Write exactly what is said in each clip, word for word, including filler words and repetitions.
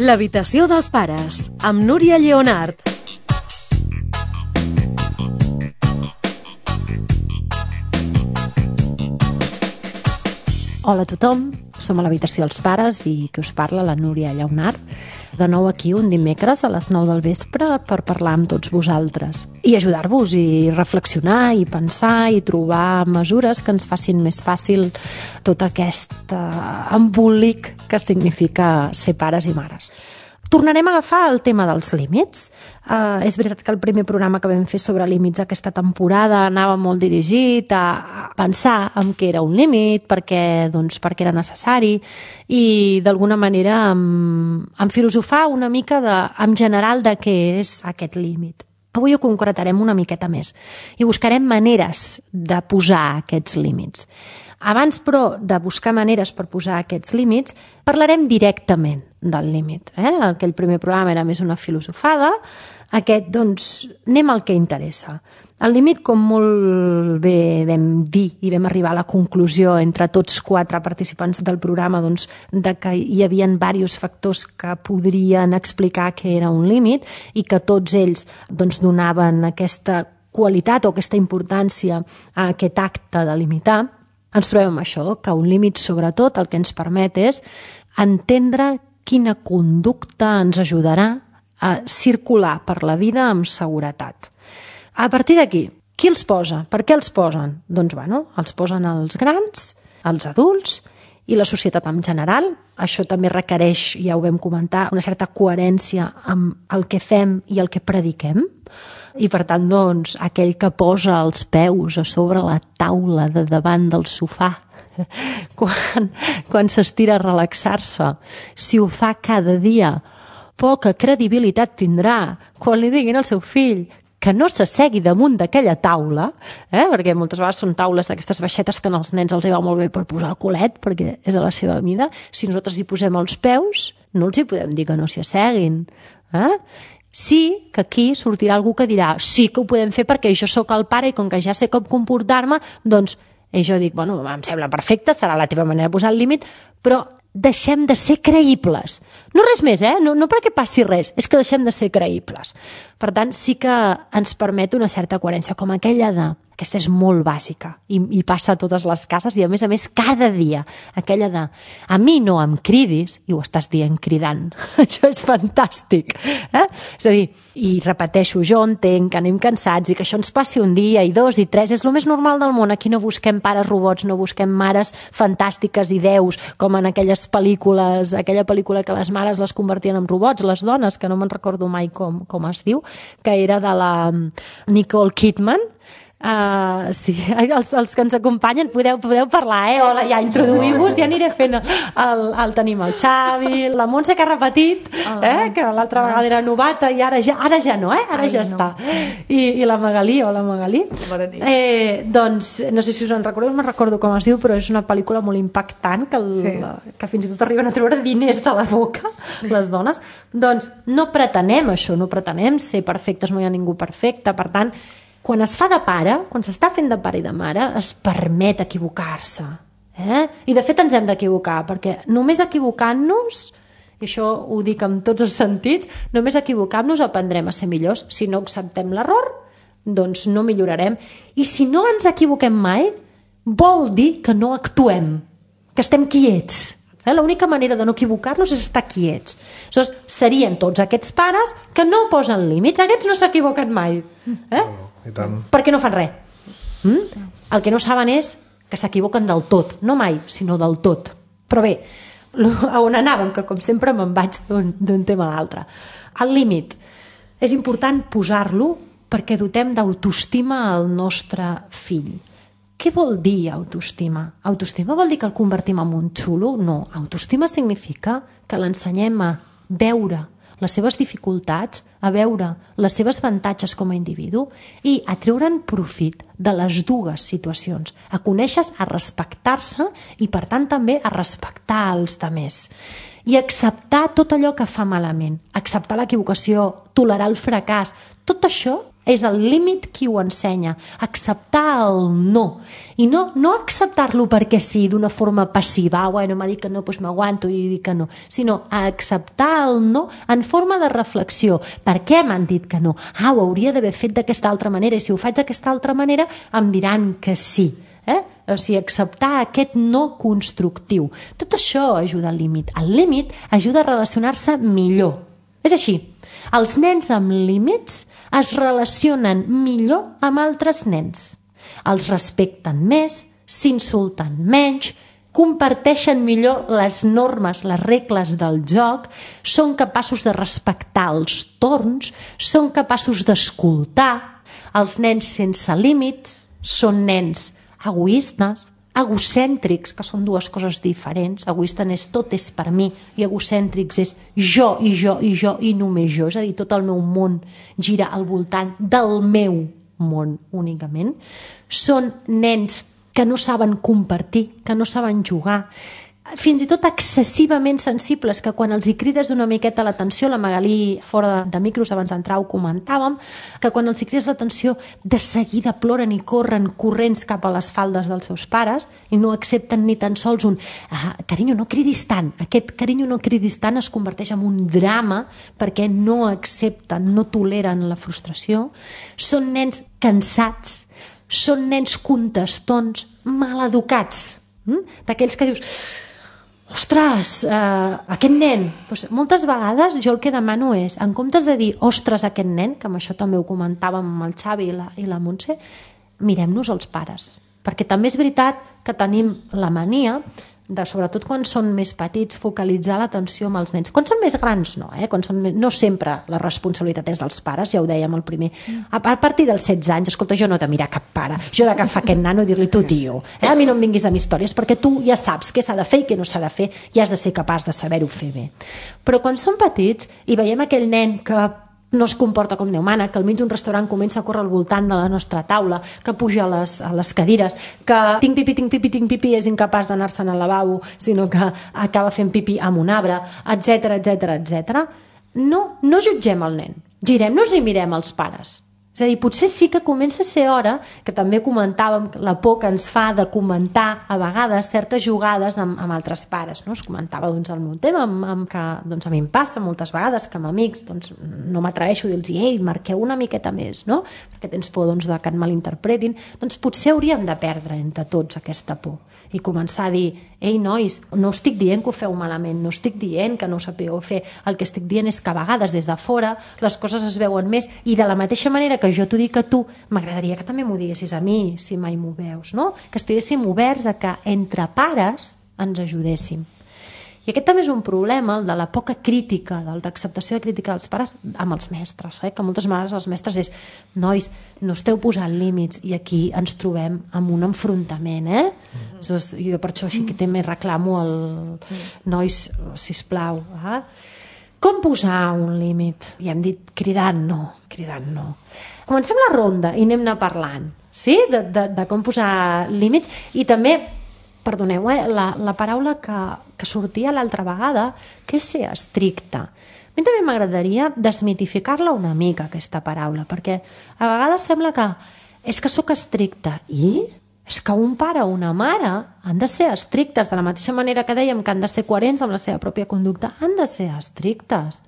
L'habitació dels pares, amb Núria Lleonart. Hola a tothom, som a l'habitació dels pares i que us parla la Núria Lleonart. De nou aquí un dimecres a les nou del vespre per parlar amb tots vosaltres i ajudar-vos i reflexionar i pensar i trobar mesures que ens facin més fàcil tot aquest embolic que significa ser pares i mares. Tornarem a agafar el tema dels límits. Uh, és veritat que el primer programa que vam fer sobre límits aquesta temporada anava molt dirigit a pensar en què era un límit, perquè, doncs, perquè era necessari i d'alguna manera en, en filosofar una mica de, en general de què és aquest límit. Avui ho concretarem una miqueta més i buscarem maneres de posar aquests límits. Abans, però, de buscar maneres per posar aquests límits, parlarem directament del límit. Eh? Aquell primer programa era més una filosofada, aquest, doncs, anem al que interessa. El límit, com molt bé vam dir i vam arribar a la conclusió entre tots quatre participants del programa, doncs, de que hi havia diversos factors que podrien explicar què era un límit i que tots ells doncs, donaven aquesta qualitat o aquesta importància a aquest acte de limitar, ens trobem amb això, que un límit, sobretot, el que ens permet és entendre quina conducta ens ajudarà a circular per la vida amb seguretat. A partir d'aquí, qui els posa? Per què els posen? Doncs, bueno, els posen els grans, els adults i la societat en general. Això també requereix, ja ho vam comentar, una certa coherència amb el que fem i el que prediquem. I per tant, doncs, aquell que posa els peus a sobre la taula de davant del sofà quan, quan s'estira a relaxar-se, si ho fa cada dia, poca credibilitat tindrà quan li diguin al seu fill que no s'assegui damunt d'aquella taula, eh? Perquè moltes vegades són taules d'aquestes baixetes que als nens els hi va molt bé per posar el culet, perquè és a la seva mida. Si nosaltres hi posem els peus, no els hi podem dir que no s'hi asseguin. Eh? Sí que aquí sortirà algú que dirà sí que ho podem fer perquè jo sóc el pare i com que ja sé com comportar-me, doncs i jo dic, bueno, em sembla perfecte, serà la teva manera de posar el límit, però deixem de ser creïbles. No res més, eh? No, no perquè passi res, és que deixem de ser creïbles. Per tant, sí que ens permet una certa coherència, com aquella de... Aquesta és molt bàsica i, i passa a totes les cases i, a més a més, cada dia. Aquella de, a mi no em cridis, i ho estàs dient cridant. Això és fantàstic. Eh? És a dir, i repeteixo, jo entenc que anem cansats i que això ens passi un dia i dos i tres, és el més normal del món. Aquí no busquem pares robots, no busquem mares fantàstiques i déus, com en aquelles pel·lícules, aquella pel·lícula que les mares les convertien en robots, les dones, que no me'n recordo mai com, com es diu, que era de la Nicole Kidman. Uh, sí, els, els que ens acompanyen podeu, podeu parlar, eh? Hola, ja introduïu-vos, ja aniré fent el, el tenim el Xavi, la Montse que ha repetit, eh? Que l'altra vegada era novata i ara ja, ara ja no, eh? Ara ja està. I, i la Magalí, hola Magalí. Eh, doncs, no sé si us en recordeu, no me'n recordo com es diu, però és una pel·lícula molt impactant que, el, sí. que fins i tot arriben a treure diners de la boca, les dones. Doncs no pretenem això, no pretenem ser perfectes, no hi ha ningú perfecte, per tant, quan es fa de pare, quan s'està fent de pare i de mare, es permet equivocar-se. Eh? I de fet ens hem d'equivocar, perquè només equivocant-nos, i això ho dic en tots els sentits, només equivocant-nos aprendrem a ser millors. Si no acceptem l'error, doncs no millorarem. I si no ens equivoquem mai, vol dir que no actuem, que estem quiets. Eh? L'única manera de no equivocar-nos és estar quiets. Aleshores, serien tots aquests pares que no posen límits. Aquests no s'equivoquen mai. Eh? I tant. Perquè no fan res. Mm? El que no saben és que s'equivoquen del tot, no mai, sinó del tot. Però bé, a on anàvem, que com sempre me'n vaig d'un tema a l'altre. El límit. És important posar-lo perquè dotem d'autoestima al nostre fill. Què vol dir autoestima? Autoestima vol dir que el convertim en un xulo? No. Autoestima significa que l'ensenyem a veure les seves dificultats, a veure les seves avantatges com a individu i a treure'n profit de les dues situacions, a conèixer, a respectar-se i, per tant, també a respectar els altres. I acceptar tot allò que fa malament, acceptar l'equivocació, tolerar el fracàs, tot això És el límit qui ho ensenya. Acceptar el no. I no, no acceptar-lo perquè sí, d'una forma passiva. Bueno, m'ha dit que no, doncs m'aguanto i dic que no. Sinó acceptar el no en forma de reflexió. Per què m'han dit que no? Ah, ho hauria d'haver fet d'aquesta altra manera. I si ho faig d'aquesta altra manera, em diran que sí. Eh? O sigui, acceptar aquest no constructiu. Tot això ajuda al límit. El límit ajuda a relacionar-se millor. És així. Els nens amb límits es relacionen millor amb altres nens. Els respecten més, s'insulten menys, comparteixen millor les normes, les regles del joc, són capaços de respectar els torns, són capaços d'escoltar. Els nens sense límits són nens egoistes, egocèntrics, que són dues coses diferents. Egoista és tot és per mi i egocèntrics és jo i jo i jo i només jo. És a dir, tot el meu món gira al voltant del meu món únicament. Són nens que no saben compartir, que no saben jugar, fins i tot excessivament sensibles, que quan els hi crides una miqueta l'atenció, la Magalí fora de micros abans d'entrar ho comentàvem, que quan els hi crides l'atenció de seguida ploren i corren corrents cap a les faldes dels seus pares i no accepten ni tan sols un ah, carinyo, no cridis tant. Aquest carinyo, no cridis tant es converteix en un drama perquè no accepten, no toleren la frustració. Són nens cansats, són nens contestons, maleducats, hm? D'aquells que dius ostres, eh, aquest nen, doncs moltes vegades jo el que demano és, en comptes de dir ostres aquest nen, que amb això també ho comentàvem amb el Xavi i la, i la Montse, mirem-nos els pares, perquè també és veritat que tenim la mania de, sobretot quan són més petits, focalitzar l'atenció amb els nens. Quan són més grans no, eh? Quan són més... no sempre la responsabilitat és dels pares, ja ho dèiem al primer. A, a partir dels setze anys, escolta, jo no he de mirar cap pare, jo he d'agafar aquest nano i dir-li tu tio, eh? A mi no em vinguis amb històries perquè tu ja saps què s'ha de fer i què no s'ha de fer i has de ser capaç de saber-ho fer bé. Però quan són petits i veiem aquell nen que no es comporta com Déu mana, que al mig d'un restaurant comença a córrer al voltant de la nostra taula, que puja a les, a les cadires, que tinc pipi, tinc pipi, tinc pipi, és incapaç d'anar-se'n al lavabo, sinó que acaba fent pipi amb un arbre, etcètera, etcètera, etcètera. No, no jutgem el nen, girem-nos i mirem els pares. És a dir, potser sí que comença a ser hora, que també comentàvem la por que ens fa de comentar a vegades certes jugades amb, amb altres pares. No? Es comentava doncs, el meu tema, amb, amb que doncs, a mi em passa moltes vegades que amb amics doncs, no m'atreveixo a dir-los ei, marqueu una miqueta més, no? Perquè tens por doncs, de que et malinterpretin. Doncs potser hauríem de perdre entre tots aquesta por i començar a dir, ei nois, no estic dient que ho feu malament, no estic dient que no ho sapigueu fer, el que estic dient és que a vegades des de fora les coses es veuen més i de la mateixa manera que jo t'ho dic a tu, m'agradaria que també m'ho diguessis a mi, si mai m'ho veus, no? Que estiguéssim oberts a que entre pares ens ajudéssim. I aquest també és un problema, el de la poca crítica, el d'acceptació de crítica dels pares amb els mestres, eh? Que moltes vegades els mestres és, nois, no esteu posant límits i aquí ens trobem amb un enfrontament, eh? Mm-hmm. Jo per això així que també reclamo el nois, sisplau, eh? Com posar un límit? I hem dit cridant no, cridant no. Comencem la ronda i anem-ne parlant, sí? De, de, de com posar límits i també perdoneu, eh, la, la paraula que, que sortia l'altra vegada, que és ser estricte. A mi també m'agradaria desmitificar-la una mica, aquesta paraula, perquè a vegades sembla que és que sóc estricta. I? És que un pare o una mare han de ser estrictes, de la mateixa manera que dèiem que han de ser coherents amb la seva pròpia conducta, han de ser estrictes.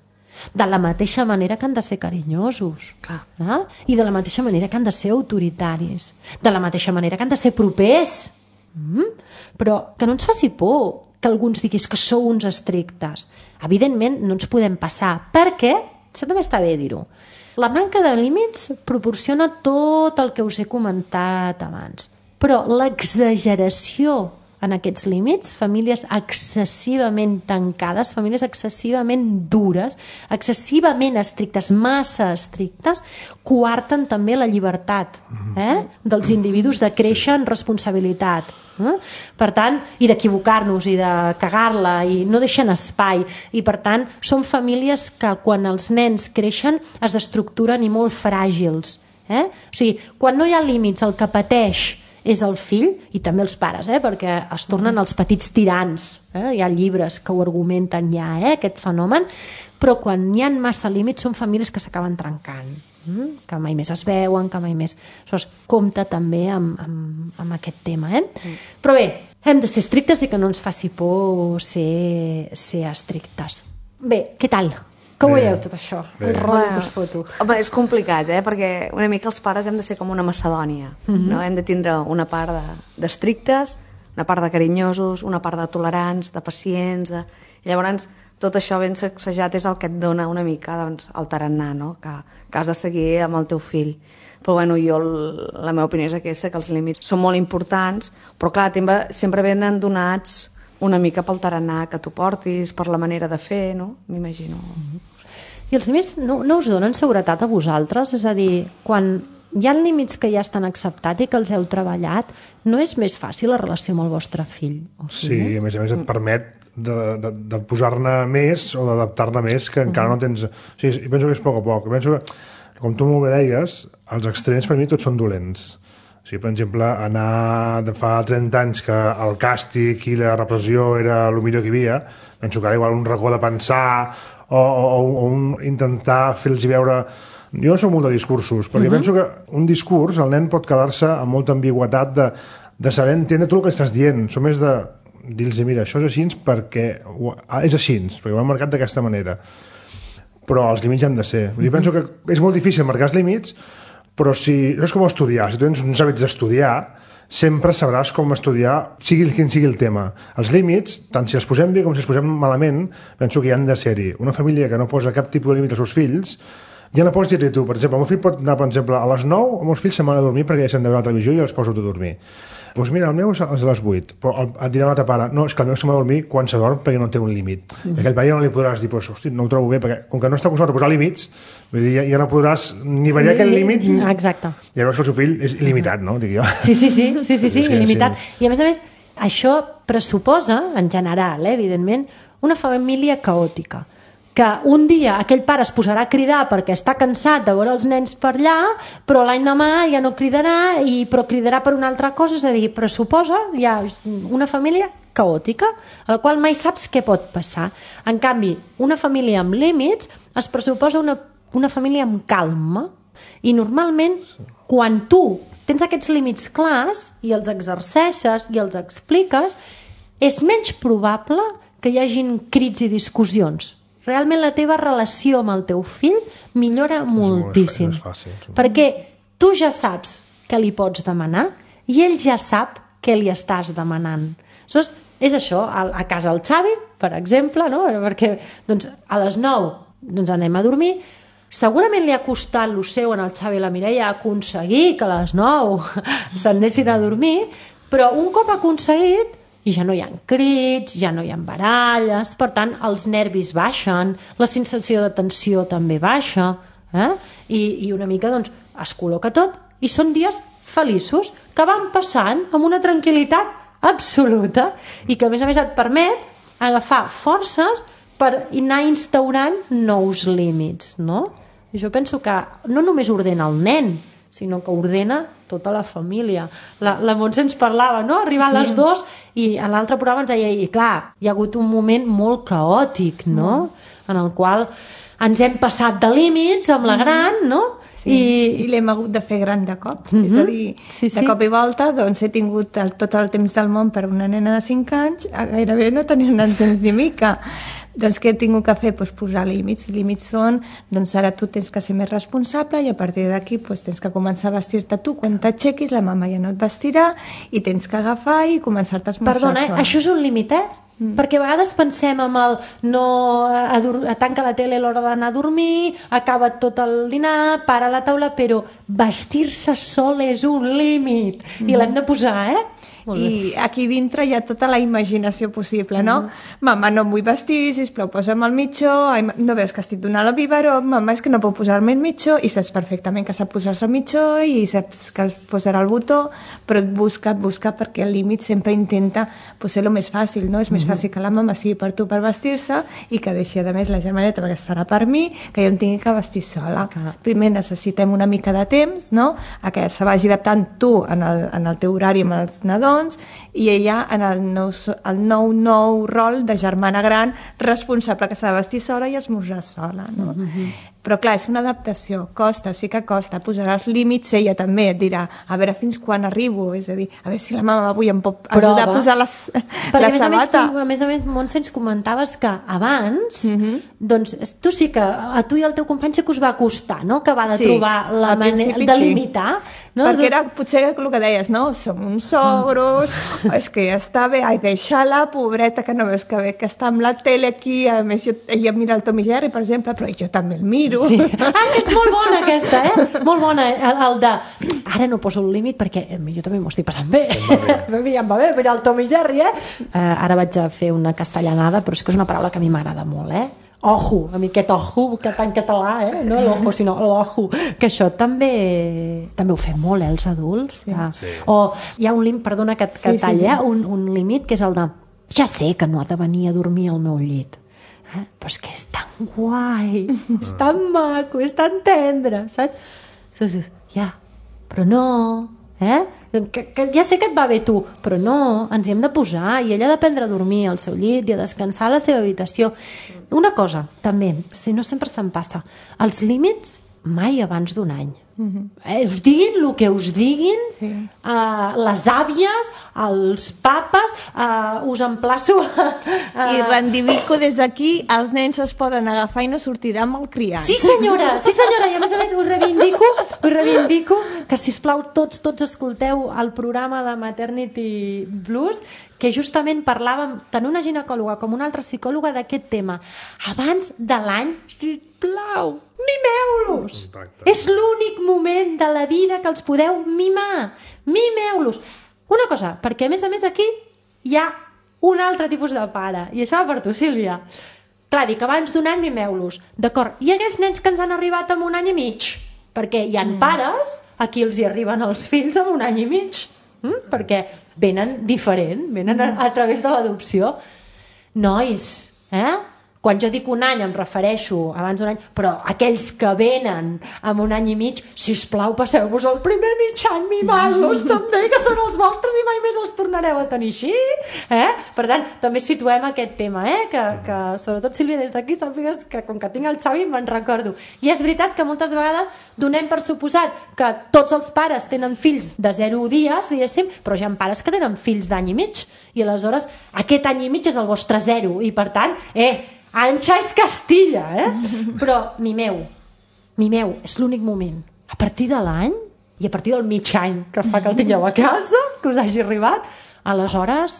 De la mateixa manera que han de ser carinyosos. Clar. Eh? I de la mateixa manera que han de ser autoritaris. De la mateixa manera que han de ser propers. Mm? Però que no ens faci por que alguns diguis que sou uns estrictes. Evidentment no ens podem passar, perquè, això també està bé dir-ho, la manca de límits proporciona tot el que us he comentat abans, però l'exageració en aquests límits, famílies excessivament tancades, famílies excessivament dures, excessivament estrictes, massa estrictes, coarten també la llibertat eh? dels individus de créixer en responsabilitat. Eh? Per tant, i d'equivocar-nos i de cagar-la i no deixen espai i per tant són famílies que quan els nens creixen es destructuren i molt fràgils. Eh? O sigui, quan no hi ha límits el que pateix és el fill i també els pares, eh? Perquè es tornen els petits tirans, eh? Hi ha llibres que ho argumenten ja, eh? Aquest fenomen, però quan hi ha massa límits són famílies que s'acaben trencant, eh? Que mai més es veuen, que mai més... Aleshores, compta també amb, amb, amb aquest tema, eh? Mm. Però bé, hem de ser estrictes i que no ens faci por ser, ser estrictes. Bé, què tal? Com ho veieu tot això? Bé. El rotllo que us foto. Home, és complicat, eh? Perquè una mica els pares hem de ser com una macedònia, mm-hmm. no? Hem de tindre una part d'estrictes, de, una part de carinyosos, una part de tolerants, de pacients, de... I llavors tot això ben sacsejat és el que et dona una mica doncs, el tarannà, no? Que, que has de seguir amb el teu fill. Però bueno, jo, la meva opinió és aquesta, que els límits són molt importants, però clar, sempre venen donats una mica pel tarannà que tu portis, per la manera de fer, no? M'imagino. I els límits no, no us donen seguretat a vosaltres? És a dir, quan hi ha límits que ja estan acceptats i que els heu treballat, no és més fàcil la relació amb el vostre fill? O sí, sí, a més a més et permet de, de, de posar-ne més o d'adaptar-ne més, que encara no tens... O sigui, penso que és a poc a poc. Penso que, com tu molt bé deies, els extrems per mi tots són dolents. O sigui, per exemple, anar de fa trenta anys que el càstig i la repressió era el millor que hi havia, penso que ara igual un racó de pensar o, o, o un, intentar fer-los veure... Jo no soc molt de discursos, perquè uh-huh. penso que un discurs, el nen pot quedar-se amb molta ambigüitat de, de saber entendre tot el que estàs dient. Som més de dir-los, mira, això és així perquè... És així, perquè ho hem marcat d'aquesta manera. Però els límits han de ser. Uh-huh. Jo penso que és molt difícil marcar els límits, però si... No és com estudiar. Si tu tens uns hàbits d'estudiar, sempre sabràs com estudiar, sigui quin sigui el tema. Els límits, tant si els posem bé com si els posem malament, penso que hi han de ser-hi. Una família que no posa cap tipus de límit als seus fills, ja no pots dir-li tu. Per exemple, el meu fill pot anar, per exemple, a les nou, els meus fills se'n van a dormir perquè ja s'han de veure la televisió i els poso a dormir. Doncs mira, el meu és a les vuit, però et dirà l'altre pare, no, és que el meu se'n va a dormir quan se dorm perquè no té un límit. Mm. I aquell pare ja no li podràs dir, pues, hosti, no ho trobo bé, perquè com que no està acostumat a posar límits, vull dir, ja, ja no podràs ni variar aquell límit. Exacte. I llavors el seu fill és il·limitat, no? Dic jo. Sí, sí, sí, sí, sí, sí, sí il·limitat. Sí, sí. I a més a més, això pressuposa, en general, eh, evidentment, una família caòtica. Que un dia aquell pare es posarà a cridar perquè està cansat de veure els nens per allà, però l'any demà ja no cridarà, i, però cridarà per una altra cosa, és a dir, pressuposa ja una família caòtica, a la qual mai saps què pot passar. En canvi, una família amb límits es pressuposa una, una família amb calma, i normalment quan tu tens aquests límits clars i els exerceixes i els expliques, és menys probable que hi hagin crits i discussions. Realment la teva relació amb el teu fill millora moltíssim. És fàcil, és fàcil. Perquè tu ja saps què li pots demanar i ell ja sap què li estàs demanant. Aleshores, és això, a casa el Xavi, per exemple, no? Perquè doncs, a les nou doncs, anem a dormir. Segurament li ha costat lo seu en el Xavi i la Mireia aconseguir que a les nou s'anessin a dormir, però un cop aconseguit i ja no hi ha crits, ja no hi ha baralles, per tant, els nervis baixen, la sensació de tensió també baixa, eh? I, i una mica doncs, es col·loca tot, i són dies feliços, que van passant amb una tranquil·litat absoluta, i que a més a més et permet agafar forces per anar instaurant nous límits, no? I jo penso que no només ordena el nen, sinó que ordena tota la família. La, la Montse ens parlava, no? Arribar a les sí. dues i a l'altre programa ens deia, i clar, hi ha hagut un moment molt caòtic, no? Mm. En el qual ens hem passat de límits amb la gran, no? Sí. I, i l'hem hagut de fer gran de cop. Mm-hmm. És a dir, sí, sí. de cop i volta doncs, he tingut el, tot el temps del món per una nena de cinc anys, gairebé no tenia un temps ni mica. Doncs què he tingut que fer? Pues posar límits. I límits són, doncs ara tu tens que ser més responsable i a partir d'aquí pues, tens que començar a vestir-te tu. Quan t'aixequis la mama ja no et vestirà i tens que agafar i començar-te a esmorzar. Perdona, eh? Això és un límit, eh? Mm. Perquè a vegades pensem amb el no a, a tanca la tele a l'hora d'anar a dormir, acaba tot el dinar, para la taula, però vestir-se sol és un límit mm. i l'hem de posar, eh? molt bé. I aquí dintre hi ha tota la imaginació possible, no? Mm. Mama, no em vull vestir, sisplau, posa'm el mitjó. Ai, no veus que estic donant el biberó? Mama, és que no puc posar-me el mitjó. I saps perfectament que sap posar-se el mitjó i saps que es posarà el botó, però et busca, et busca, perquè el límit sempre intenta pues, ser el més fàcil, no? És més fàcil que la mama sigui per tu per vestir-se i que deixi, a més, la germaneta perquè estarà per mi, que jo em tingui que vestir sola. Clar. Primer necessitem una mica de temps, no?, a que se vagi adaptant tu en el, en el teu horari amb els nadons i ella en el nou, el nou nou rol de germana gran responsable que s'ha de vestir sola i esmorzar sola, no? Mm-hmm. Però clar, és una adaptació, costa, sí que costa, posarà els límits, ella també et dirà a veure fins quan arribo, és a dir, a veure si la mama avui em pot ajudar Prova. a posar les, la a sabata. Perquè a més a més, Montse, ens comentaves que abans, mm-hmm. doncs tu sí que, a tu i al teu company sí que us va costar, no?, que va de sí, trobar la manera de limitar. Sí. No? Perquè era potser el que deies, no?, som uns sogros, mm. és que ja està bé, ai, deixa-la, pobreta, que no veus que bé, que està amb la tele aquí, a més jo, ella mira el Tom i Jerry, per exemple, però jo també el miro. Sí. Ah, que és molt bona aquesta, eh? Molt bona, el, el de ara no poso el límit perquè jo també m'ho estic passant bé. Ja em va bé, mira el Tom i Jerry, eh? Uh, ara vaig a fer una castellanada, però és que és una paraula que a mi m'agrada molt, eh? Ojo, a mi aquest ojo, que en català, eh? No l'ojo, sinó l'ojo. Que això també també ho fem molt, eh, els adults. Sí. Ah. Sí. O hi ha un límit, perdona que, que sí, talla, sí, sí. Eh? Un, un límit que és el de ja sé que no ha de venir a dormir al meu llit. Eh? Però és que és tan guai, és tan maco, és tan tendre, saps? Saps? Ja, però no, eh? Que, que ja sé que et va bé tu, però no, ens hi hem de posar i ella ha d'aprendre a dormir al seu llit i a descansar a la seva habitació. Una cosa, també, si no sempre se'm passa, els límits mai abans d'un any. Mm-hmm. eh, us diguin el que us diguin, sí. uh, les àvies, els papes, uh, us emplaço a, a... I reivindico des d'aquí, els nens es poden agafar i no sortirà amb el criant. Sí senyora, sí senyora, i a més a més us reivindico, us reivindico que sisplau tots, tots escolteu el programa de Maternity Blues, que justament parlàvem tant una ginecòloga com una altra psicòloga d'aquest tema. Abans de l'any, sisplau, mimeu-los! És l'únic moment de la vida que els podeu mimar. Mimeu-los! Una cosa, perquè a més a més aquí hi ha un altre tipus de pare, i això va per tu, Sílvia. Clar, dic, abans d'un any mimeu-los. D'acord, i aquells nens que ens han arribat amb un any i mig? Perquè hi ha mm. pares a qui els hi arriben els fills amb un any i mig. Mm? Perquè venen diferent, venen a, a través de l'adopció. Nois, eh? Quan jo dic un any em refereixo abans d'un any, però aquells que venen amb un any i mig, sisplau, passeu-vos el primer mig any mimant-los també, que són els vostres i mai més els tornareu a tenir així. Eh? Per tant, també situem aquest tema, eh? que, que sobretot, Sílvia, des d'aquí sàpigues que com que tinc el Xavi me'n recordo. I és veritat que moltes vegades donem per suposat que tots els pares tenen fills de zero dies, diguéssim, però hi ha pares que tenen fills d'any i mig, i aleshores aquest any i mig és el vostre zero, i per tant, eh, Anxa és Castilla, eh? Però mimeu, mimeu, és l'únic moment. A partir de l'any, i a partir del mig any que fa que el tingueu a casa, que us hagi arribat, aleshores,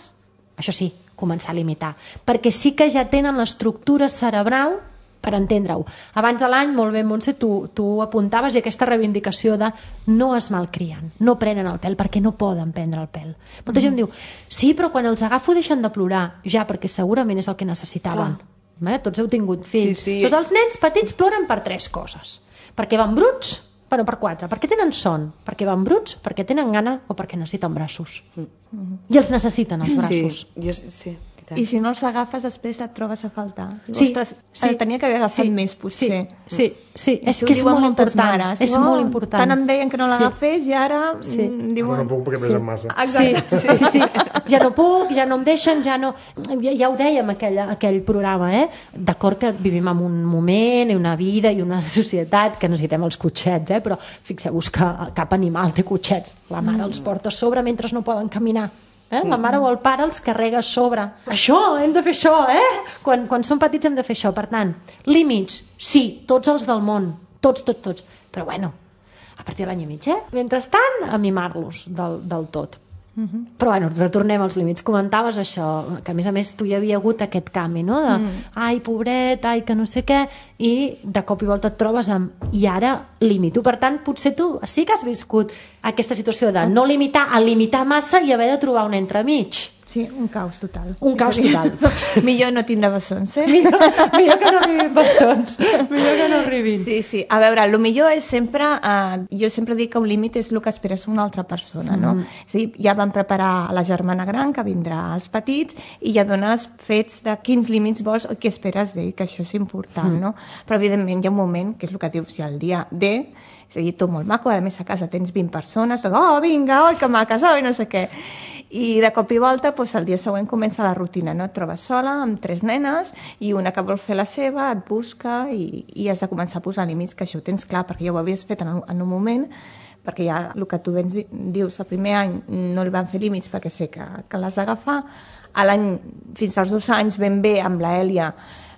això sí, començar a limitar. Perquè sí que ja tenen l'estructura cerebral per entendre-ho. Abans de l'any, molt bé, Montse, tu, tu apuntaves i aquesta reivindicació de no es malcrien, no prenen el pèl, perquè no poden prendre el pèl. Molta gent diu, sí, però quan els agafo deixen de plorar. Ja, perquè segurament és el que necessitaven. Clar. Eh? Tots heu tingut fills. Sí, sí. Doncs els nens petits ploren per tres coses. Perquè van bruts, bueno, per quatre. Perquè tenen son, perquè van bruts, perquè tenen gana o perquè necessiten braços. Mm-hmm. I els necessiten, els braços. Sí, jo, sí. I si no els agafes, després et trobes a faltar. Sí, Ostres, sí, el tenia que haver agafat sí, més, potser. Sí, sí, sí. És que és molt important. Mares. És oh, molt important. Tant em deien que no l'agafés sí. i ara sí. No, diuen... no puc perquè sí. pesen massa. Exacte. Sí, sí, sí. Ja no puc, ja no em deixen, ja no... Ja, ja ho dèiem, aquell, aquell programa, eh? D'acord que vivim en un moment i una vida i una societat que necessitem els cotxets, eh? Però fixeu-vos que cap animal té cotxets. La mare mm. els porta a sobre mentre no poden caminar. Eh? La mare o el pare els carrega a sobre. Això, hem de fer això, eh? Quan, quan som petits hem de fer això. Per tant, límits, sí, tots els del món. Tots, tots, tots. Però bueno, a partir de l'any i mig, eh? Mentrestant, a mimar-los del, del tot. Uh-huh. Però bueno, retornem als límits. Comentaves això, que a més a més tu hi havia hagut aquest canvi, no? De, mm. ai, pobret, ai, que no sé què, i de cop i volta et trobes amb i ara limito. Per tant, potser tu sí que has viscut aquesta situació de no limitar a limitar massa i haver de trobar un entremig. Sí, un caos total. Un caos total. Millor no tindre bessons, eh? Millor, millor que no arribin bessons. Millor que no arribin. Sí, sí. A veure, el millor és sempre... Eh, jo sempre dic que un límit és el que esperes una altra persona, no? Mm. És a dir, ja vam preparar la germana gran, que vindrà als petits, i ja dones fets de quins límits vols o què esperes d'ell, que això és important, mm. no? Però, evidentment, hi ha un moment, que és el que dius, si el dia D... És a dir, tot molt maco, a més a casa tens vint persones, oh, vinga, oi, que maques, oi, no sé què. I de cop i volta, doncs, el dia següent comença la rutina, no? Et trobes sola amb tres nenes i una que vol fer la seva, et busca i, i has de començar a posar límits, que això ho tens clar, perquè ja ho havies fet en, en un moment, perquè ja el que tu vens, dius, el primer any no li van fer límits perquè sé que, que l'has d'agafar, a l'any, fins als dos anys ben bé amb la Èlia,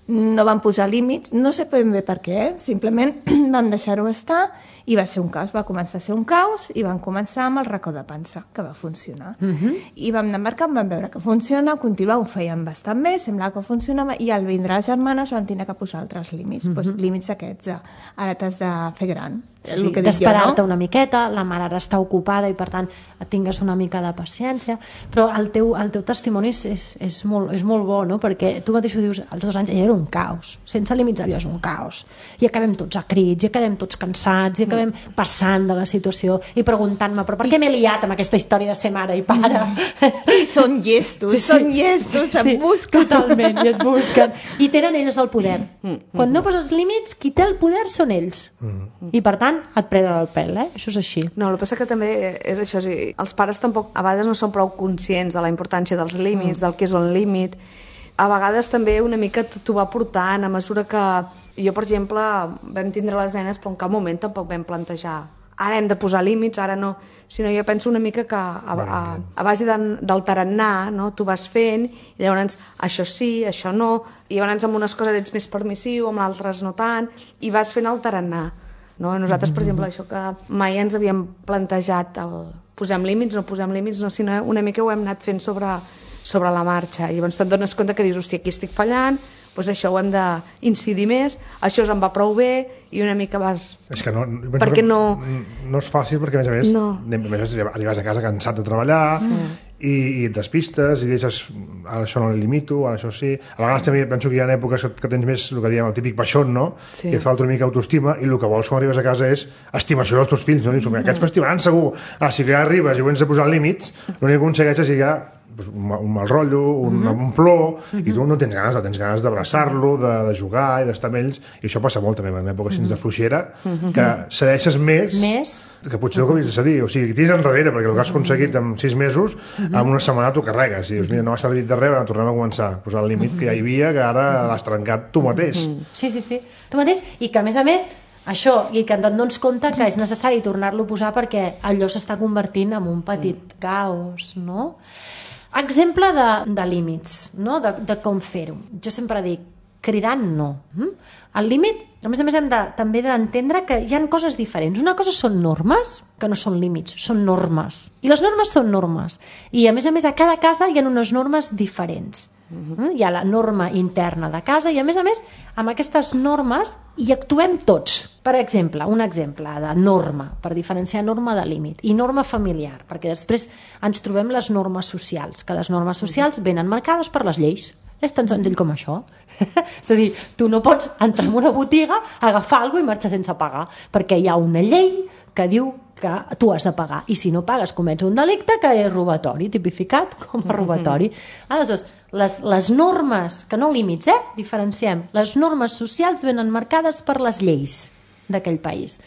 no van posar límits, no sé ben bé per què, simplement vam deixar-ho estar i va ser un caos, va començar a ser un caos i van començar amb el racó de pansa, que va funcionar. Uh-huh. I vam anar marcant, vam veure que funciona, continuar, ho feien bastant bé, semblava que funcionava, i al vindre les germanes van tenir que posar altres límits, uh-huh. doncs, límits aquests, ara t'has de fer gran. Sí, d'esperar-te no? una miqueta, la mare ara està ocupada i per tant tingues una mica de paciència, però el teu, el teu testimoni és, és, és, molt, és molt bo, no? Perquè tu mateix ho dius, als dos anys era un caos, sense límits allò és un caos, i acabem tots a crits, i acabem tots cansats, i acabem passant de la situació i preguntant-me, però per què m'he liat amb aquesta història de ser mare i pare? I són llestos, sí, sí, són llestos, sí, et busquen. Totalment, i et busquen. I tenen ells el poder. Quan no poses límits, qui té el poder són ells. I per tant, et prenen el pèl, eh? Això és així. No, el que passa que també és això, sí, els pares tampoc a vegades no són prou conscients de la importància dels límits, mm. del que és un límit. A vegades també una mica t'ho va portant a mesura que... Jo, per exemple, vam tindre les nenes, però en cap moment tampoc vam plantejar ara hem de posar límits, ara no, sinó jo penso una mica que a, a, a base de, del tarannà, no? Tu vas fent i llavors això sí, això no, i llavors amb unes coses ets més permissiu, amb altres no tant, i vas fent el tarannà. No? Nosaltres, per exemple, això que mai ens havíem plantejat el posem límits, no posem límits, no, sinó una mica ho hem anat fent sobre, sobre la marxa. I llavors te'n dones compte que dius, hòstia, aquí estic fallant, doncs això ho hem d'incidir més, això em va prou bé, i una mica vas... És que no, perquè no... no és fàcil, perquè a més a més, no. a més arribes a casa cansat de treballar, sí. i, i et despistes, i deixes, ara això no li limito, ara això sí... A vegades també penso que hi ha èpoques que, que tens més, el que diem, el típic baixón, no? Sí. I et falta una mica autoestima, i el que vols quan arribes a casa és estimació dels teus fills, no? Dius, aquests m'estimaran segur. Ah, si que ja arribes i ho ets de posar límits, l'únic que aconsegueixes és ja un mal rotllo, un, uh-huh. un plor, uh-huh. i tu no tens ganes, no tens ganes d'abraçar-lo, de, de jugar i d'estar amb ells, i això passa molt també en èpoques uh-huh. de fluixera, uh-huh. que cedeixes més, més que potser el que havies de cedir, o sigui, que tires enrere, perquè el que has aconseguit en sis mesos, uh-huh. en una setmana t'ho carregues, i dius, mira, no m'ha servit de res, tornem a començar a posar el límit uh-huh. que ja hi havia, que ara l'has trencat tu mateix. Uh-huh. Sí, sí, sí, tu mateix, i que a més a més això, i que et dones compte que és necessari tornar-lo a posar perquè allò s'està convertint en un petit caos, no? Exemple de, de límits, no? de, de com fer-ho. Jo sempre dic, cridant no. El límit, a més a més, hem de, també d'entendre que hi ha coses diferents. Una cosa són normes, que no són límits, són normes. I les normes són normes. I a més a més, a cada casa hi ha unes normes diferents. Uh-huh. Hi ha la norma interna de casa i a més a més amb aquestes normes hi actuem tots. Per exemple, un exemple de norma, per diferenciar norma de límit, i norma familiar, perquè després ens trobem les normes socials, que les normes socials venen marcades per les lleis. És tan senzill com això. És a dir, tu no pots entrar en una botiga, agafar alguna cosa i marxar sense pagar, perquè hi ha una llei que diu que tu has de pagar, i si no pagues comets un delicte que és robatori, tipificat com a robatori. Aleshores, les, les normes, que no límits, eh? Diferenciem, les normes socials venen marcades per les lleis d'aquell país.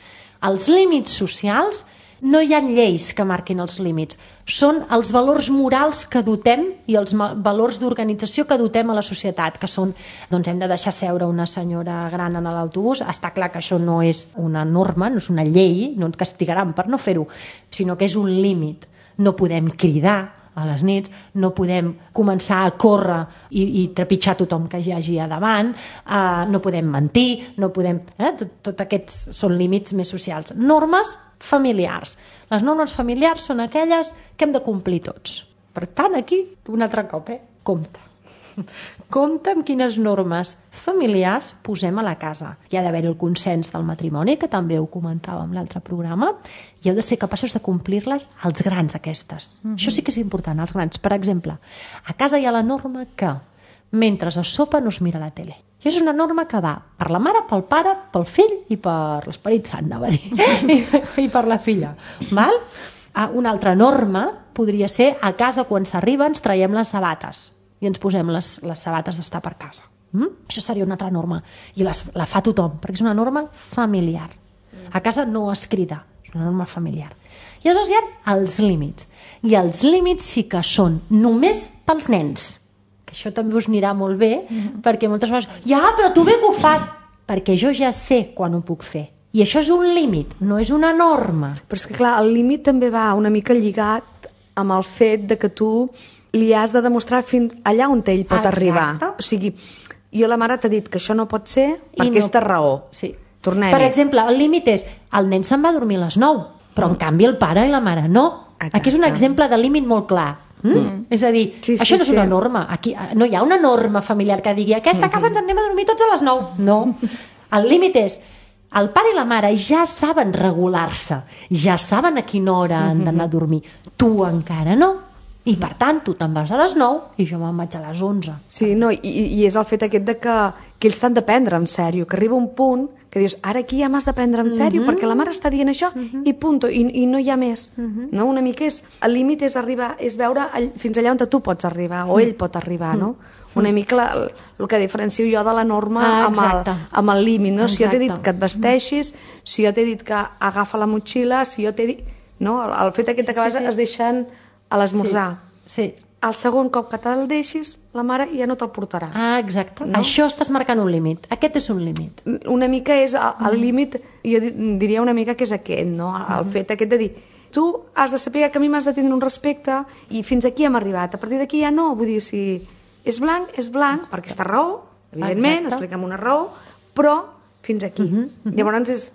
Els límits socials, no hi ha lleis que marquin els límits, són els valors morals que dotem i els valors d'organització que dotem a la societat, que són, doncs hem de deixar seure una senyora gran en l'autobús, està clar que això no és una norma, no és una llei, no et castigaran per no fer-ho, sinó que és un límit. No podem cridar a les nits, no podem començar a córrer i, i trepitjar tothom que hi hagi a davant, uh, no podem mentir, no podem... Eh? Tot, tot aquests són límits més socials. Normes familiars. Les normes familiars són aquelles que hem de complir tots. Per tant, aquí, un altre cop, eh? Compte. Compte amb quines normes familiars posem a la casa. Hi ha d'haver el consens del matrimoni, que també ho comentàvem en l'altre programa, i heu de ser capaços de complir-les als grans, aquestes. Mm-hmm. Això sí que és important, als grans. Per exemple, a casa hi ha la norma que mentre es sopa no es mira la tele. I és una norma que va per la mare, pel pare, pel fill i per l'Esperit Sant, anava a dir, I, i per la filla. Val? Una altra norma podria ser a casa quan s'arriba ens traiem les sabates i ens posem les, les sabates d'estar per casa. Mm? Això seria una altra norma. I les, la fa tothom, perquè és una norma familiar. A casa no es crida, és una norma familiar. I aleshores hi ha els límits. I els límits sí que són només pels nens. Que això també us anirà molt bé, mm. perquè moltes vegades, ja, però tu bé que ho fas, perquè jo ja sé quan ho puc fer. I això és un límit, no és una norma. Però és que clar, el límit també va una mica lligat amb el fet de que tu li has de demostrar fins allà on ell pot Exacte. arribar. O sigui, jo la mare t'ha dit que això no pot ser per I aquesta no... raó. Sí. Tornem-hi. Per exemple, el límit és, el nen se'n va dormir a les nou, però en canvi el pare i la mare no. Exacte. Aquí és un exemple de límit molt clar. Mm? Mm. És a dir, sí, sí, això no és sí. una norma. Aquí no hi ha una norma familiar que digui aquesta casa ens en anem a dormir tots a les nou. No. El límit és el pare i la mare ja saben regular-se, ja saben a quina hora han d'anar a dormir. Tu encara no. I per tant, tu te'n vas a les nou i jo me'n vaig a les onze. Sí, no, i, i és el fet aquest de que, que ells t'han de prendre en sèrio, que arriba un punt que dius, ara aquí ja m'has de prendre en sèrio, mm-hmm. perquè la mare està dient això mm-hmm. i punt, i, i no hi ha més. Mm-hmm. No? Una mica és, el límit és arribar, és veure all, fins allà on tu pots arribar, o ell pot arribar, no? Una mica la, el, el que diferencio jo de la norma ah, amb, el, amb el límit, no? Si jo t'he dit que et vesteixis, si jo t'he dit que agafa la motxilla, si jo t'he dit... No? El, el fet aquest sí, que vas sí, sí. es deixen a l'esmorzar. Sí. sí. El segon cop que te'l deixis, la mare ja no te'l portarà. Ah, exacte. No? Això estàs marcant un límit. Aquest és un límit. Una mica és el, el límit, jo diria una mica que és aquest, no? El fet aquest de dir, tu has de saber que a mi m'has de tindre un respecte i fins aquí hem arribat. A partir d'aquí ja no. Vull dir, si és blanc, és blanc, per aquesta raó, evidentment, exacte. Explica'm una raó, però fins aquí. Uh -huh, uh -huh. Llavors, és,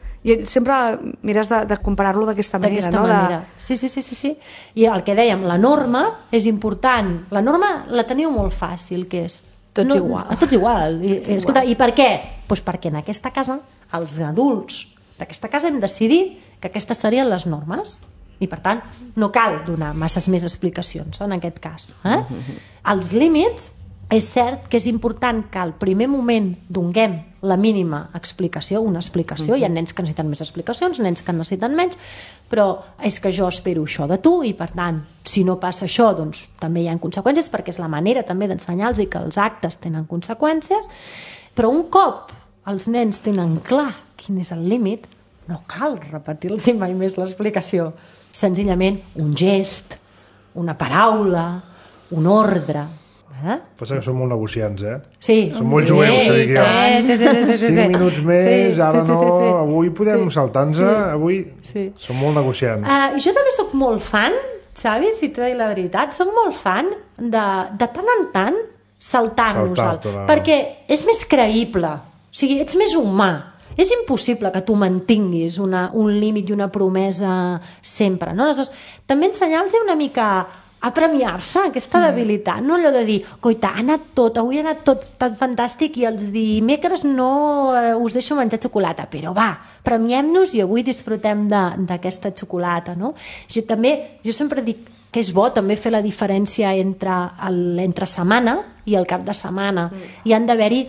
sempre mires de, de comparar-lo d'aquesta manera. No? manera. De... Sí, sí, sí, sí, sí. I el que dèiem, la norma és important. La norma la teniu molt fàcil, que és... Tots no, igual. A tots igual. I, tots escolta, igual. I per què? Pues perquè en aquesta casa, els adults d'aquesta casa hem decidit que aquestes serien les normes. I, per tant, no cal donar masses més explicacions en aquest cas. Eh? Uh -huh. Els límits... És cert que és important que al primer moment donguem la mínima explicació, una explicació, uh-huh. hi ha nens que necessiten més explicacions, nens que necessiten menys, però és que jo espero això de tu i per tant, si no passa això, doncs també hi ha conseqüències, perquè és la manera també d'ensenyar-los i que els actes tenen conseqüències, però un cop els nens tenen clar quin és el límit, no cal repetir-los mai més l'explicació. Senzillament un gest, una paraula, un ordre. Eh? Passa que són molt negociants, eh? Sí. Són molt jueus, sí, sí, sí, sí, sí, sí, sí. Cinc minuts més, sí, ara sí, sí, no, sí, sí. avui podem sí, saltar-nos, sí, avui sí. Són molt negociants. Uh, jo també sóc molt fan, Xavi, si t'he dit la veritat, sóc molt fan de, de tant en tant saltar-nos, Saltar perquè és més creïble, o sigui, ets més humà. És impossible que tu mantinguis una, un límit i una promesa sempre, no? Aleshores, també ensenyar-los una mica a premiar-se aquesta debilitat, no allò de dir, coita, ha anat tot, avui ha anat tot tan fantàstic i els dimecres no eh, us deixo menjar xocolata, però va, premiem-nos i avui disfrutem d'aquesta xocolata, no? Jo també, jo sempre dic que és bo també fer la diferència entre l'entre setmana i el cap de setmana. Mm. Hi han d'haver-hi,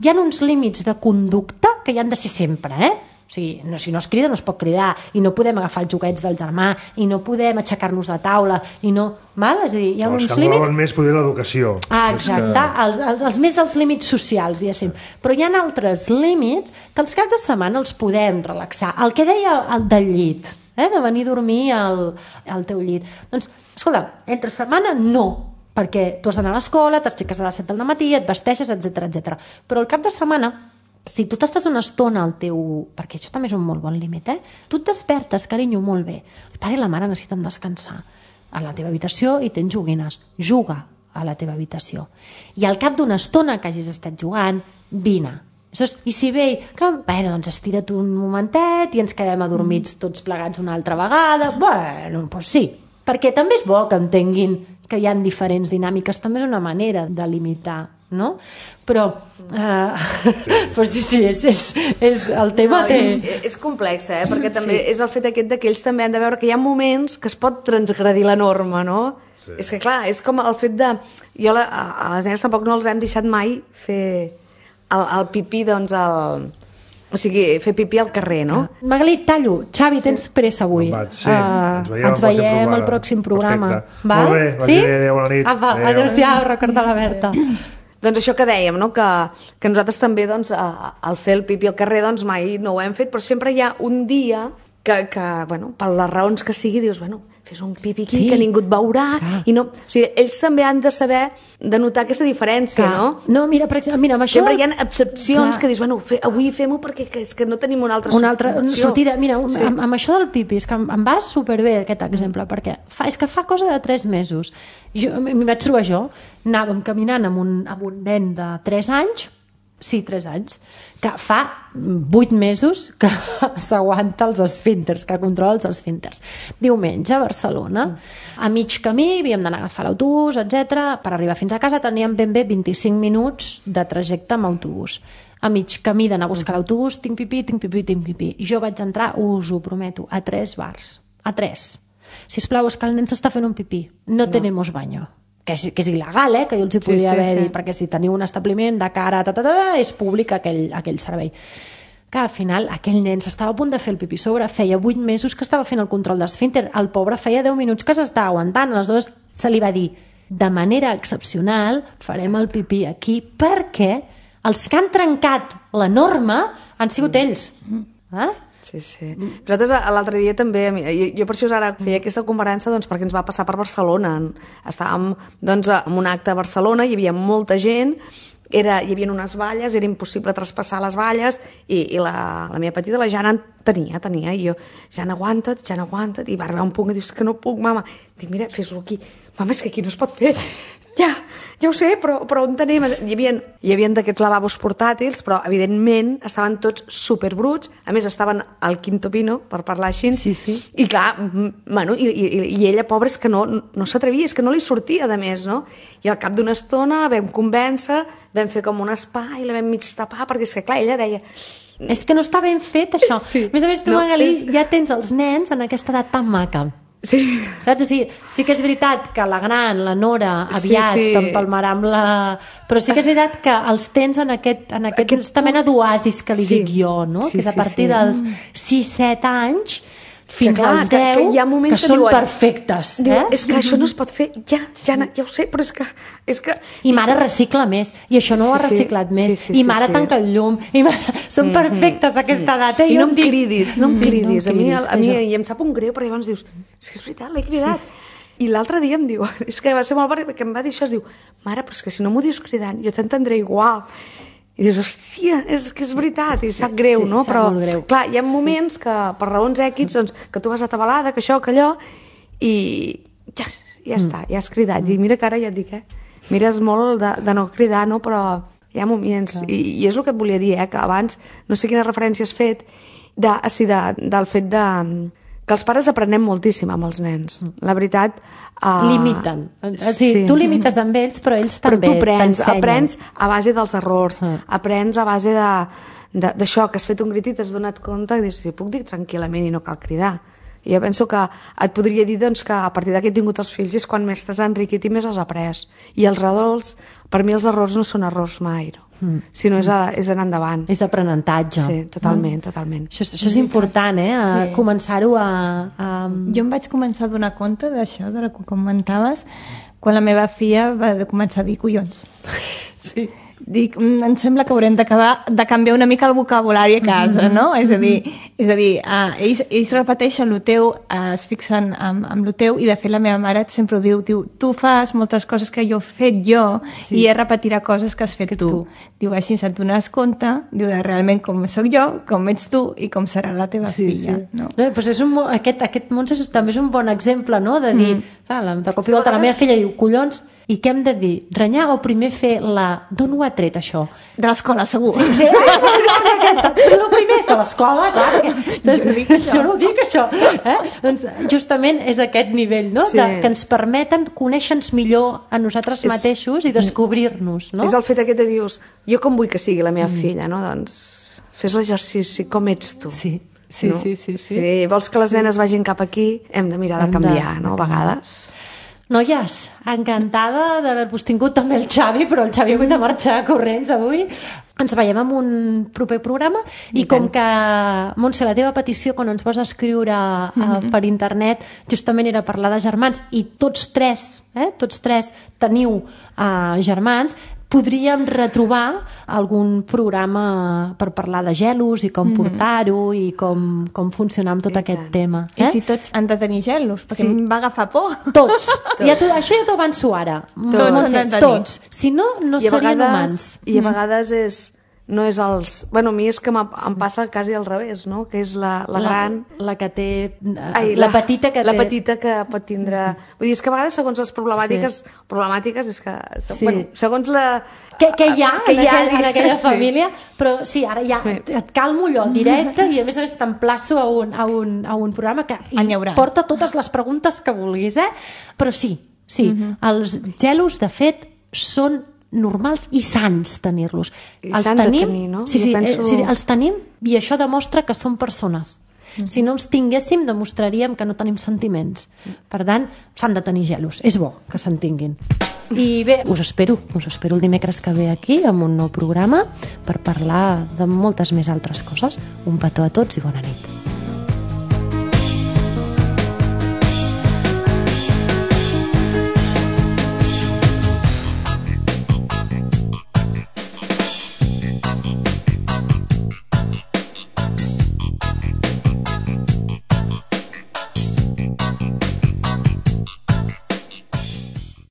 hi ha uns límits de conducta que hi han de ser sempre, eh? O sigui, no, si no es crida no es pot cridar i no podem agafar els joguets del germà i no podem aixecar-nos de taula i no... Val? És a dir, hi ha no, uns límits... límits... més poder l'educació. Ah, exacte, que... els, els, els més els límits socials, diguéssim. Però hi ha altres límits que els caps de setmana els podem relaxar. El que deia el del llit, eh? De venir a dormir al, al teu llit. Doncs, escolta, entre setmana no, perquè tu has d'anar a l'escola, t'aixeques a les set del matí, et vesteixes, etcètera, etcètera. Però el cap de setmana, si tu t'estàs una estona al teu... Perquè això també és un molt bon límit, eh? Tu et despertes, carinyo, molt bé. El pare i la mare necessiten descansar a la teva habitació i tens joguines. Juga a la teva habitació. I al cap d'una estona que hagis estat jugant, vine. Saps? I si ve, que, bueno, doncs estira't un momentet i ens quedem adormits tots plegats una altra vegada. Bueno, doncs sí, perquè també és bo que entenguin que hi ha diferents dinàmiques, també és una manera de limitar, no? Però, uh, sí, però sí, sí, és, és, és el tema no, té... És complex, eh? Perquè també sí. És el fet aquest que ells també han de veure que hi ha moments que es pot transgredir la norma, no? Sí. És que clar, és com el fet de... Jo la, a les nenes tampoc no els hem deixat mai fer el, el pipí, doncs, el... O sigui, fer pipí al carrer, no? Ah. Magali, tallo. Xavi, sí. Tens pressa avui. Vaig, sí. uh, ens veiem, ens veiem al pròxim programa. Perfecte. Molt bé, sí? Adéu, bona nit. Apa, adéu-siau, recorda la Berta. Doncs això que dèiem, no? que, que nosaltres també doncs, al fer el pipí al carrer doncs, mai no ho hem fet, però sempre hi ha un dia que, que bueno, per les raons que sigui, dius, bueno, fes un pipí aquí, sí, que ningú et veurà. I no, o sigui, ells també han de saber de notar aquesta diferència, clar, no? No, mira, per exemple, mira, amb això... Sempre hi ha excepcions, clar, que dius, bueno, fe, avui fem-ho perquè que, és que no tenim una altra, una altra sortida. Mira, un, sí. amb, amb això del pipí, és que em, em va superbé aquest exemple, perquè fa, és que fa cosa de tres mesos. Jo, m'hi vaig trobar jo, anàvem caminant amb un, amb un nen de tres anys, sí, tres anys, que fa vuit mesos que s'aguanta els esfínters, que controla els esfínters. Diumenge a Barcelona, a mig camí havíem d'anar a agafar l'autobús, etcètera. Per arribar fins a casa teníem ben bé vint-i-cinc minuts de trajecte amb autobús. A mig camí d'anar a buscar l'autobús, tinc pipí, tinc pipí, tinc pipí. Jo vaig entrar, us ho prometo, a tres bars. A tres. Sisplau, és que el nen s'està fent un pipí. No, no. tenemos baño. Que és, que és il·legal, eh? Que jo els hi podia sí, sí, haver sí. dit, perquè si teniu un establiment de cara, ta, ta, ta, ta, és públic aquell, aquell servei. Que al final aquell nen s'estava a punt de fer el pipí sobre, feia vuit mesos que estava fent el control d'esfínter, el pobre feia deu minuts que s'estava aguantant, aleshores se li va dir, de manera excepcional farem el pipí aquí, perquè els que han trencat la norma han sigut ells. Eh? Sí, sí. Nosaltres l'altre dia també, jo, jo per això ara feia aquesta conferència doncs, perquè ens va passar per Barcelona. Estàvem doncs, en un acte a Barcelona, hi havia molta gent, era, hi havia unes valles, era impossible traspassar les valles i, i la, la meva petita, la Jana, tenia, tenia, i jo, Jana, aguanta't, Jana, aguanta't, i va arribar un punt que dius que no puc, mama. Dic, mira, fes-lo aquí. Mama, és que aquí no es pot fer. Ja, ja ho sé, però, però on tenim? Hi havia, hi havia d'aquests lavabos portàtils, però evidentment estaven tots superbruts, a més estaven al quinto pino, per parlar així, sí, sí. I clar, bueno, i, i, i ella, pobra, és que no, no s'atrevia, és que no li sortia, de més, no? I al cap d'una estona vam convèncer, vam fer com un espai, la vam mig tapar, perquè és que, clar, ella deia... És que no està ben fet, això. Sí. A més a més, tu, no, Magali, és... ja tens els nens en aquesta edat tan maca. Sí. Saps? O sigui, sí que és veritat que la gran, la Nora, aviat sí, sí. t'empalmarà amb la... Però sí que és veritat que els tens en aquest, en aquest, aquesta mena d'oasis que li sí. dic jo, no? Sí, que és a sí, partir sí. dels sis set anys fins que, clar, als deu, que, que, que, que són diuen, perfectes. Diu, eh? És que això no es pot fer, ja, ja, ja ho sé, però és que... És que... I mare recicla més, i això no sí, ho ha reciclat sí, més, sí, sí, i mare sí, tanca el llum, i mare... són mm-hmm. perfectes a aquesta edat. Eh? I no em em dic... cridis, no em sí, cridis. no em cridis, a mi, a mi i em sap un greu, perquè llavors dius, és que és veritat, l'he cridat. I l'altre dia em diu, és que va ser molt perquè em va dir això, es diu, mare, però és que si no m'ho dius cridant, jo t'entendré igual. I dius, hòstia, és que és veritat, i sap greu, sí, no? sap Però, greu. clar, hi ha moments que, per raons èquids, doncs, que tu vas atabalada, que això, que allò, i ja, ja està, ja has cridat. I mira que ara ja et dic, eh? Mires molt de, de no cridar, no? Però hi ha moments, i, i és el que et volia dir, eh? Que abans, no sé quina referència has fet, de, sí, de, del fet de... que els pares aprenem moltíssim amb els nens. La veritat... Uh, limiten. O sigui, sí. Tu limites amb ells, però ells també t'ensenyen. Però tu aprens, t'ensenyen. aprens a base dels errors, uh. aprens a base d'això, que has fet un crit i t'has donat compte i dius, sí, puc dir tranquil·lament i no cal cridar. I jo penso que et podria dir doncs, que a partir d'aquí he tingut els fills és quan més t'has enriquit i més has après. I els errors, per mi els errors no són errors mai, no? Mm. Sinó és, a, és anar endavant. És aprenentatge. Sí, totalment, mm. totalment. Això, això és important, eh? A sí. començar-ho a, a... Jo em vaig començar a donar compte d'això, de la que comentaves, quan la meva filla va començar a dir collons. Sí. Dic, em sembla que haurem d'acabar de canviar una mica el vocabulari a casa, no? És a dir, és a dir uh, ells, ells repeteixen el teu, uh, es fixen amb, amb el teu, i de fet la meva mare sempre ho diu, diu, tu fas moltes coses que jo he fet jo, sí. i ella repetirà coses que has fet que tu. tu. Diu, així se't dones compte, diu, de realment com sóc jo, com ets tu i com serà la teva sí, filla. Sí. No? No, doncs és un, aquest, aquest Montse també és un bon exemple, no? De dir, mm. clar, de cop i volta la meva filla diu, collons, I què hem de dir? Renyar o primer fer la... D'on ho ha tret, això? De l'escola, segur. Sí, sí. El primer és de l'escola, clar. Perquè... Jo no ho dic, això. Eh? Doncs justament és aquest nivell, no? Sí. De, que ens permeten conèixer-nos millor a nosaltres és... mateixos i descobrir-nos, no? És el fet aquest de dius, jo com vull que sigui la meva mm. filla, no? Doncs fes l'exercici, com ets tu? Sí. Sí, no? sí, sí, sí. Si vols que les nenes vagin cap aquí, hem de mirar de canviar, no? A vegades... Noies, encantada d'haver-vos tingut, també el Xavi, però el Xavi ha hagut de marxar corrents avui. Ens veiem en un proper programa i, I com que, Montse, la teva petició quan ens vas escriure mm-hmm. uh, per internet justament era parlar de germans i tots tres, eh, tots tres teniu uh, germans, podríem retrobar algun programa per parlar de gelos i com mm-hmm. portar-ho i com, com funcionar amb tot I aquest tant. tema. Eh? I si tots han de tenir gelos, perquè sí. em va agafar por. Tots. tots. Ja tu, això ja t'ho avanço ara. Tots. Montse, tots. Si no, no I serien vegades, humans. I a vegades és... no és els... Bueno, a mi és que em passa quasi al revés, no? Que és la, la, la gran... La que té... Ai, la, la petita que la té... La petita que pot tindre... Vull dir, és que a vegades, segons les problemàtiques... Sí. Problemàtiques és que... Sí. Bueno, segons la... Que, que hi ha, que en, hi ha aquell, en aquella sí. família, però sí, ara ja sí. et calmo allò directe i a més a més t'emplaço a un, a, un, a un programa que porta totes les preguntes que vulguis, eh? Però sí, sí, uh-huh. els gelos, de fet, són normals i sants tenir-los. I els s'han tenim, de tenir, no? Sí, sí, penso... eh, sí, els tenim i això demostra que són persones. Mm. Si no els tinguéssim, demostraríem que no tenim sentiments. Per tant, s'han de tenir gelos. És bo que se'n tinguin. I bé, us espero, us espero el dimecres que ve aquí amb un nou programa per parlar de moltes més altres coses. Un petó a tots i bona nit.